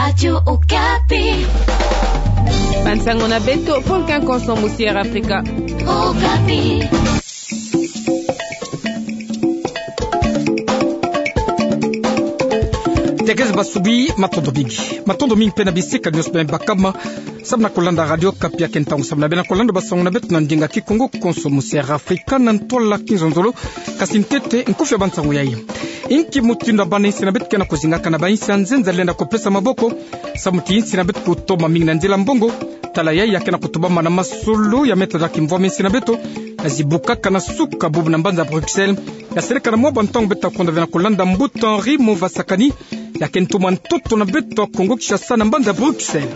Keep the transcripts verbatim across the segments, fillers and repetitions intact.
Radio Okapi. Bansango na beto, Volcan Konso Musière Afrika. Okapi. Tekese basubi, matondo mingi. Matondo mingi mpe na bisika nyonso bima bakama samu na kolanda Radio Okapi ya kento ntangu samu na bena kolanda basango na beto na ndinga Kikongo, Konso Musière Afrika, na ntwala Kinzonzolo. Kasi ntete, nkufi ya bansango yai. Inki mutindu ya bana insi na beto ke na kozingaka na bainsi ya nzenza lenda kopesa maboko samu ti insi na beto kutoma mingi na nzila mbongo? Tala yai ya ke na kutubama na masolo ya meta za kimvwama insi na beto, ya zibukaka na suka bubu na mbanza Bruxelles, ya seleka na mwa bantangu beto ta kwenda ve na kolanda mbuta Henri Mova Sakani, ya ke ntumwa ntoto na beto Kongo Kinshasa na mbanza Bruxelles.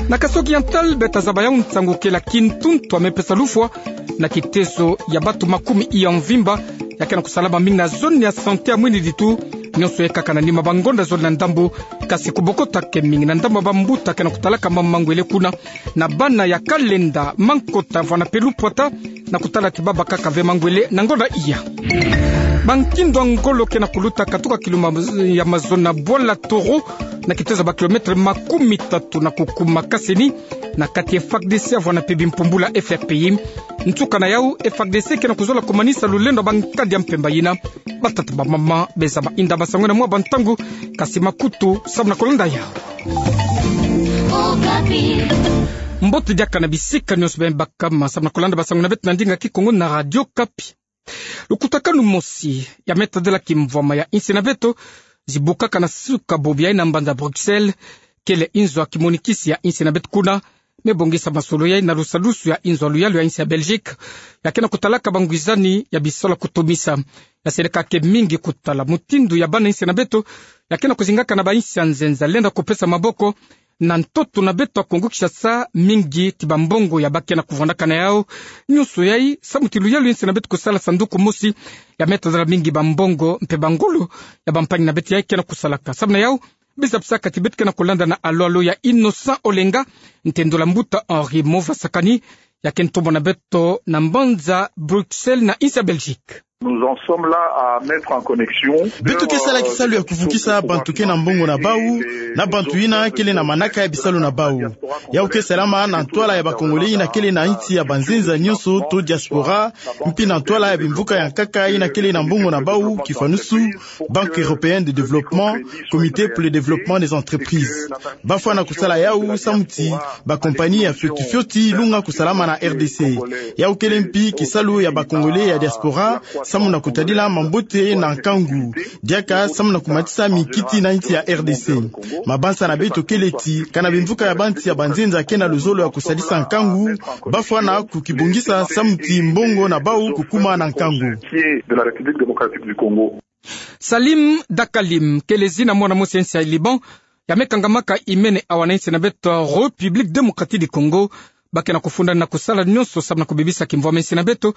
Na Kasaï Oriental beto ta zaba yau nsangu kele ya kintuntu ya mepesa lufwa na kitezo ya bato makumi iya mvimba, ya ke na kusalama mingi na zone ya santé ya Mwinilitu, nyonso yai kaka na nima bangonda zole na ndambu, kasi kubokotaka mingi na ndambu ya bambuta ke na kutalaka mambu mangwele kuna, na bana ya kalenda, mankota, vwanda mpe lupwata, na kutala ti baba kaka ve mangwele na ngonda iya. Bankindo ya ngolo ke na kuluta katuka kiluma ya mazono na bwala Toro, na kitezo ya ba kilomètre makumi tatu na kukuma kaseni, na kati ya F A R D C vwanda mpe bimpumbulu ya F R P I. Nsuka na yau, F A R D C ke na kuzola kumanisa lulendo ya bankadi ya mpemba yina. Batata, bamama, bezama, inda, basango na mwa bantangu, kasi makutu samu na kolanda yau. Okapi. Mbote diaka na bisika nyonso bima bakama samu na kolanda basango na beto na ndinga Kikongo na Radio Okapi. Lukutakanu mosi ya meta zela kimvwama ya insi na beto, zibukaka na suka bubu yai na mbanza Bruxelles, kele inzo ya kimonikisi ya insi na beto kuna, me bongisa masolo yai na lusadusu ya inzo ya luyalu ya insi ya Belgique, ya ke na kutalaka bangwizani ya bisalu ya kutumisa. Ya seleka ke mingi kutala mutindu ya bana insi na beto, ya ke na kuzingaka na bainsi ya nzenza lenda kopesa maboko, na ntoto na beto ya Kongo Kinshasa, mingi ti bambongo ya ba ke na kuvwandaka na yau. Nyonso yai samu ti luyalu ya insi na beto kusala sanduku mosi, ya meta zela mingi bambongo mpe bangolo ya bampangi na beto yai ke na kusalaka. Samu na yau, biza bisaka ti beto ke na kolanda na alo-alo ya Innocent Olenga, ntendolo ya mbuta Henri Mova Sakani, ya ke ntumwa na beto na mbanza Bruxelles na insi ya Belgique. Nous en sommes là à mettre en connexion. Beto ke sala kisalu ya kuvukisa bantu ke na mbongo na bau na bantu yina kele na manaka ya bisalu na bau. Yau ke salama na ntwala ya ba Congolais yina kele na insi ya banzenza nyonso to diaspora, mpi na ntwala ya bimvuka ya nkaka yina kele na mbongo na bau, kifanusu Banque européenne de développement, Comité pour le développement des entreprises. Ba fwana kusala yau samu ti ba compagnie ya fioti fioti lunga kusalama na R D C. Yau kele mpi kisalu ya ba Congolais ya diaspora samu na kutadila mambote na nkangu. Diaka samu na kumatisa mikiti na insi ya R D C. Mabanza na beto kele ti, kana bimvuka ya bansi ya banzenza ke na luzolo ya kusadisa nkangu, ba fwana kukibongisa samu ti mbongo na bau kukuma na nkangu. De la République démocratique du Congo. Salim Dakalim, kele zina mwana mosi ya insi ya Liban, ya me kangamaka imene awa na insi na beto République démocratique du Congo, ba ke na kufunda na kusala nyonso samu na kubebisa kimvwama insi na beto,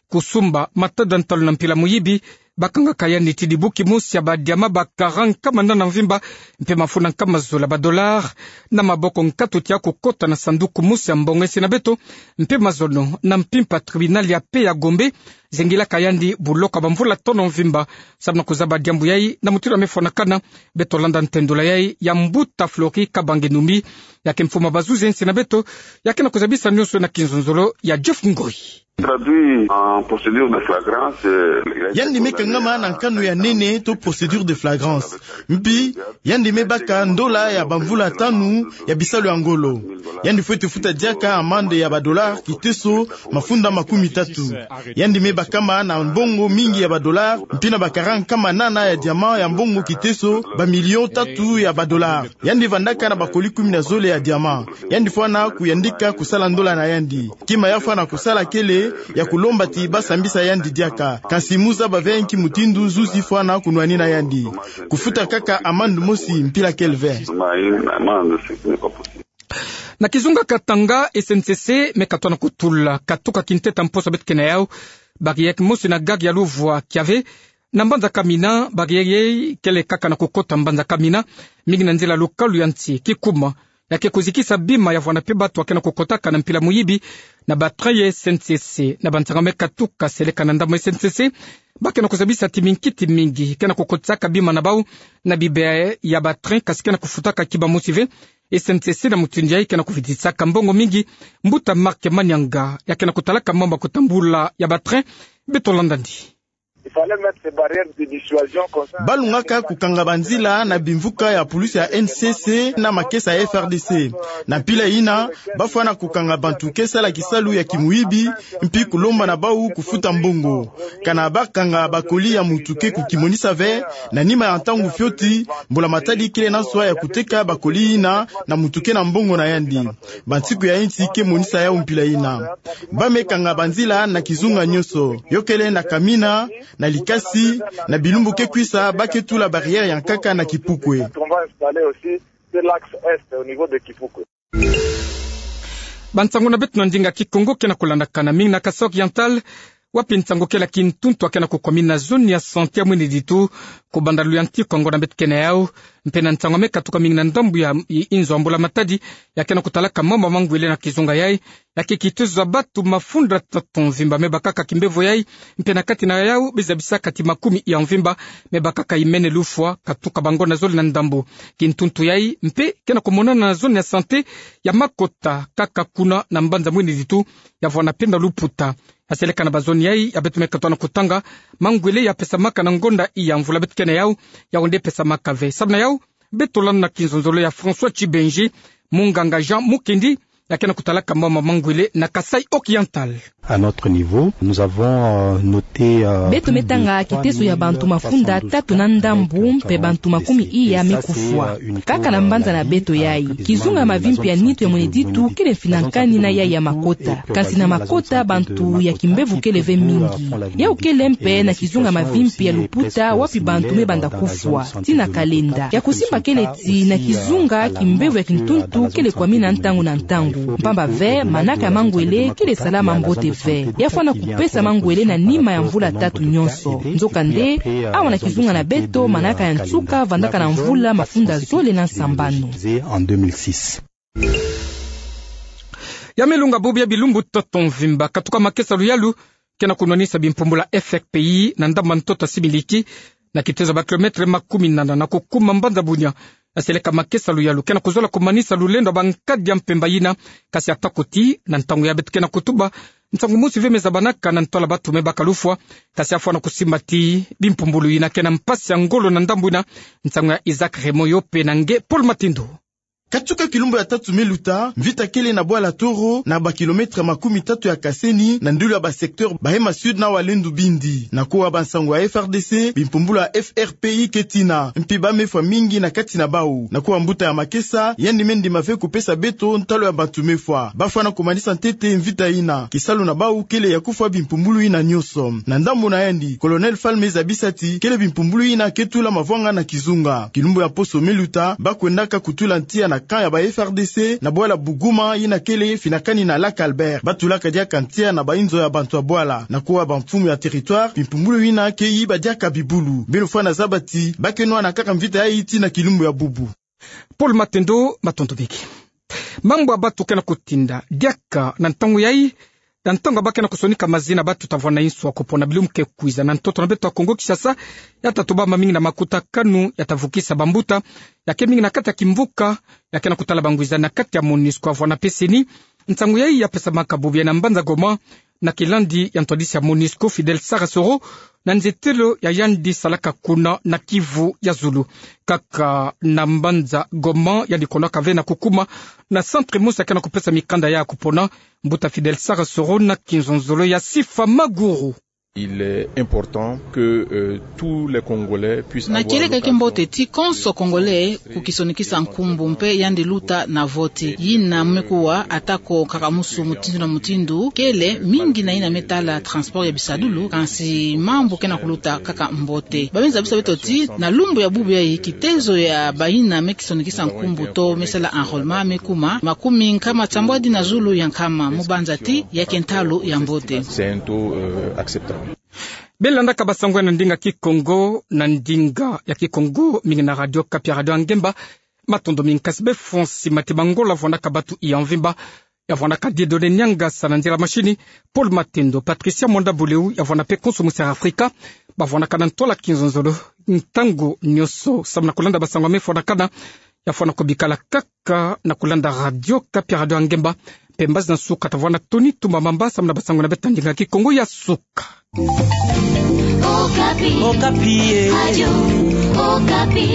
kusumba matada ntalu na mpila muyibi, ba kangaka yandi ti dibuki mosi ya ba diamant ba kara nkama nana mvimba, mpe mafuta nkama zola ba dollars, na maboko nkatu tia kukota na sanduku mosi ya mbongo insi na beto, mpe mazono na mpimpa tribunal ya paix ya Gombe, zengilaka yandi buloka bamvula tono mvimba, samu na kuzaba diambu yai na mutindu ya me fwanakana. Beto landa ntendolo yai ya mbuta Flori Kabange Numbi, ya ke mfumu ya bazuzi ya insi na beto, ya ke na kuzabisa nyonso na kinzonzolo ya Jeff Ngoi. Traduit en procédure de flagrance, euh, yandi me kangama na nkanu ya nene to procédure de flagrance. Mpi, yandi me baka ndola ya bamvula tanu ya bisalu ya ngolo. Yandi fwete futa diaka amande ya ba dollars kiteso mafunda makumi tatu. Yandi me bakama na mbongo mingi ya ba dollars, mpi na ba kara nkama nana ya diamant ya mbongo kiteso ba millions tatu ya ba dollars. Yandi vandaka na bakoli kumi na zole ya diamant. Yandi fwana kuyandika kusala ndola na yandi. Kima ya fwana kusala kele ya kulomba ti ba sambisa yandi diaka. Kansi mu zaba ve nki mutindu zuzi fwana kunwanina yandi. Kufuta kaka amande mosi mpila kele ve. Na kizunga Katanga, S N C C me katona kutula katuka kinteta mposo beto ke na yau. Barrière mosi na gare ya Luvwa Kiave, na mbanza Kamina, barrière yai kele kaka na kukota mbanza Kamina, mingi na nzila lukalu ya nsi, kikuma, ya ke kuzikisa bima ya vwanda mpe bato ya ke na kukotaka na mpila muyibi. Na ba train ya S N C C, na banzanga me katuka seleka na ndambu ya S N C C, ba ke na kuzabisa ti minkiti mingi ke na kukotisaka bima na bau na bibe ya ba train, kasi ke na kufutaka kiba mosi ve. S N C C na mutindu yai ke na kuvitisaka mbongo mingi. Mbuta Marc Manianga, ya ke na kutalaka mambu ya kutambula ya ba train, beto landa ndi. Il fallait mettre ces barrières de dissuasion comme ça. Ba lungaka kukanga banzila na bimvuka ya pulusi ya N C C na makesa ya F R D C. Na mpila yina, ba fwana kukanga bantu ke sala kisalu ya kimuyibi, mpi kulomba na bau kufuta mbongo. Kana ba kanga ba colis ya muntu ke kukimonisa ve, na nima ya ntangu fioti, mbula matadi kele na nswa ya kuteka ba colis yina na muntu ke na mbongo na yandi. Bansiku ya insi ke monisa yau mpila yina. Ba me kanga banzila na kizunga nyonso. Yo kele na Kamina, na Likasi, na bilumbu ke kwisa, ba ke tula barrière ya nkaka na Kipukwe. Bansangu na beto na ndinga Kikongo ke na kulandakana mingi na Kasaï Oriental, wapi nsangu kele ya kintuntu ya ke na kukwamina na zone ya santé ya Mwinidithu, kubanda luyantiku ya ngonda beto ke na yau, mpe na nsangu ya me katuka mingi na ndambu ya i-, inzo ya mbula matadi, ya ke na kutalaka mambu ya mangwele na kizunga yai, ya ke kitezo ya bantu mafunda tatu mvimba me bakaka kimbevo yai, mpe na kati na yau, bizabisaka ti makumi ya mvimba me bakaka imene lufwa, katuka bangonda zole na ndambu. Kintuntu yai mpe ke na kumonana na zone ya santé ya Makota, kaka kuna na mbanza Mwinidithu, ya vwanda penda luputa. Aseleka na ba zone yai ya beto me katuka na kutanga, mangwele ya pesamaka na ngonda ya mvula beto ke na yau, yau nde pesamaka ve. Samu na yau, beto landa na kinzonzolo ya François Tshibenji, munganga Jean Mukendi, ya ke na kutalaka mambu ya mangwele na Kasaï Oriental. À notre niveau, nous avons, euh, noté, euh, beto me tanga kitezo ya bantu mafunda tatu na ndambu, mpe bantu makumi iya me kufwa. Kaka na mbanza na beto yai, kizunga ya mavimpi ya nitu ya Mwinidithu kele mfinakani na yai ya Makota. Kasi na Makota bantu ya kimbevo kele ve mingi. Yau kele mpe na kizunga ya mavimpi ya luputa wapi bantu me banda kufwa. Ti na kalenda ya kusimba kele ti na kizunga, kimbevo ya kintuntu kele kwamina ntangu na ntangu. Mpamba ve, manaka ya mangwele kele salama mbote ve. Ya fwana kupesa mangwele na nima ya mvula tatu nyonso. Nzokande, awa na kizunga na beto, manaka ya nsuka vandaka na mvula mafunda zole na sambanu. Ya me lunga bubu ya bilumbu tatu mvimba, katuka makesa luyalu ke na kunwanisa bimpumbulu ya F R P I na ndambu ya ntoto ya Similiki, na kitezo ya ba kilomètre makumi nana na kukuma mbanza Bunia. Aseleka makesa luyalu ke na kuzola kumanisa lulendo ya bankadi ya mpemba yina, kasi atako ti na ntangu ya beto ke na kutuba, nsangu mosi ve me zabanaka na ntoto ya bantu me baka lufwa, kasi ya fwana kusimba ti bimpumbulu yina ke na mpasi ya ngolo na ndambu yina. Nsangu ya Isaac Raymond, yo pe na nge Paul Matendo. Katuka kilumbu ya tatu me luta, mvita kele na bwala Toro, na ba kilomètre makumi tatu ya Kaseni, na ndulu ya ba secteur Bahema Sud na Walendu Bindi. Na kuwa bansangu ya F R D C, bimpumbulu ya F R P I ke tina, mpi ba me fwa mingi na kati na bau. Na kuwa mbuta ya makesa, yandi me ndima ve kupesa beto ntalu ya bantu me fwa. Ba fwana kumanisa ntete mvita yina. Kisalu na bau kele ya kufwa bimpumbulu yina nyonso. Na ndambu na yandi, Colonel Fall me zabisa ti kele bimpumbulu yina ke tula mavwanga na kizunga. Kilumbu ya poso me luta, ba kwendaka kutula ntia na camp ya ba F R D C na bwala Buguma yina kele finakani na Lac Albert. Ba tulaka diaka ntia na ba inzo ya bantu ya bwala. Na kuwa bamfumu ya territoire, bimpumbulu yina ke yiba diaka bibulu. Beno fwana zaba ti ba ke nwana kaka mvita yayi ti na kilumbu ya bubu. Paul Matendo, matondo mingi. Mambu ya bantu ke na kutinda diaka na ntangu yayi, na ntangu ba ke na kusonika mazina ya bantu ta vwanda inswa kupona bilumbu ke kwiza na ntoto na beto ya Kongo Kinshasa, ya ta tubama mingi na makutakanu ya ta vukisa bambuta, ya ke mingi na kati ya kimvuka, ya ke na kutala bangwiza na kati ya MONUSCO ya vwanda peseni. Nsangu yayi ya pesamaka bubu yayi na mbanza Goma, na kilandi ya ntwadisi ya MONUSCO Fidel Sarasoro, na nzietelo ya yandi salaka kuna na Kivu ya zulu. Kaka na mbanza Goma, yandi konaka ve na kukuma na centre mosi ya ke na kupesa mikanda ya kupona. Mbuta Fidel Sarasoro na kinzonzolo ya Sifa Maguru. Il est important que, euh, tous les Congolais puissent avoir l'occasion. Na kieleka kiambote ti konso Congolais kukisonikisa nkumbu mpe yandi luta na vote. Yina me kuwa atako kaka musu mutindu na mutindu, kele mingi na yina me tala transport ya bisadulu, kansi mambu ke na kuluta kaka mbote. Ba me zabisa beto ti, na lumbu ya bubu yayi kitezo ya bayina me kisonikisa nkumbu to me sala enrôlement me kuma makumi nkama tiambwadi na zulu ya nkama, mu banza ti ya ke ntalu ya mbote. C'est un taux, euh, acceptable. Beno landaka bansangu ya na ndinga Kikongo, na ndinga ya Kikongo, mingi na Radio Okapi, Radio ya Ngemba. Matondo mingi, kasi beno fwa nsi mati mangola vwandaka bantu ya mvimba, ya vwandaka Dieudonné Niangasa na nzila machine, Paul Matendo, Patricia Mwanda Buleu, ya vwanda mpe konso Miss Africa, Bavwanakana ntwala kinzonzolo, ntangu nyoso, samu na kulanda basango me fwanakana, ya fwana ko bikala kaka na kulanda Radio Okapi, Radio ya Ngemba, mpe mbazi na suka tavwana Tony Tumba Mamba, samu na basango na beta ndinga Kikongo ya suka. Okapi. Okapi, eh. Radio Okapi.